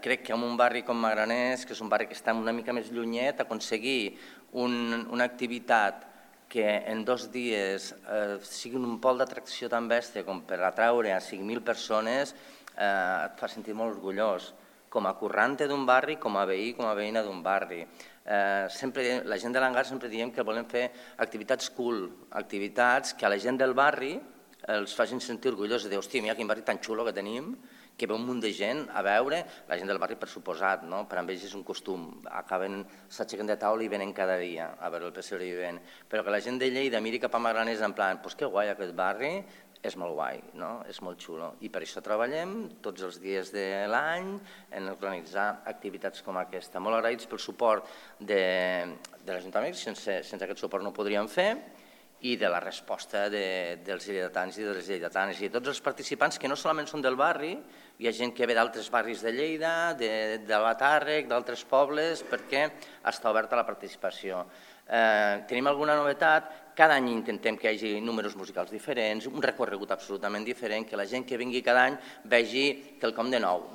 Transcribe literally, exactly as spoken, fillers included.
Crec que en un barri com Magraners, que és un barri que està una mica més llunyet, aconseguir una activitat que en dos dies sigui un pol d'atracció tan bèstia com per atraure a cinc mil persones et fa sentir molt orgullós, com a currante d'un barri, com a veí, com a veïna d'un barri. La gent de l'Hangar sempre diem que volem fer activitats cool, activitats que a la gent del barri els facin sentir orgullosos de dir, hòstia, mira quin barri tan xulo que tenim, que ve un munt de gent a veure, la gent del barri per suposat, per a ells és un costum, acaben, s'aixequen de taula i venen cada dia a veure el pessebre vivent, però que la gent de Lleida miri cap a Magraners en plan, doncs que guai aquest barri, és molt guai, és molt xulo, i per això treballem tots els dies de l'any en organitzar activitats com aquesta. Molt agraïts pel suport de l'Ajuntament, sense aquest suport no ho podríem fer, i de la resposta dels lleidatans i de les lleidatanes i de tots els participants que no solament són del barri, hi ha gent que ve d'altres barris de Lleida, de Batàrrec, d'altres pobles, perquè està oberta la participació. Tenim alguna novetat? Cada any intentem que hi hagi números musicals diferents, un recorregut absolutament diferent, que la gent que vingui cada any vegi quelcom de nou.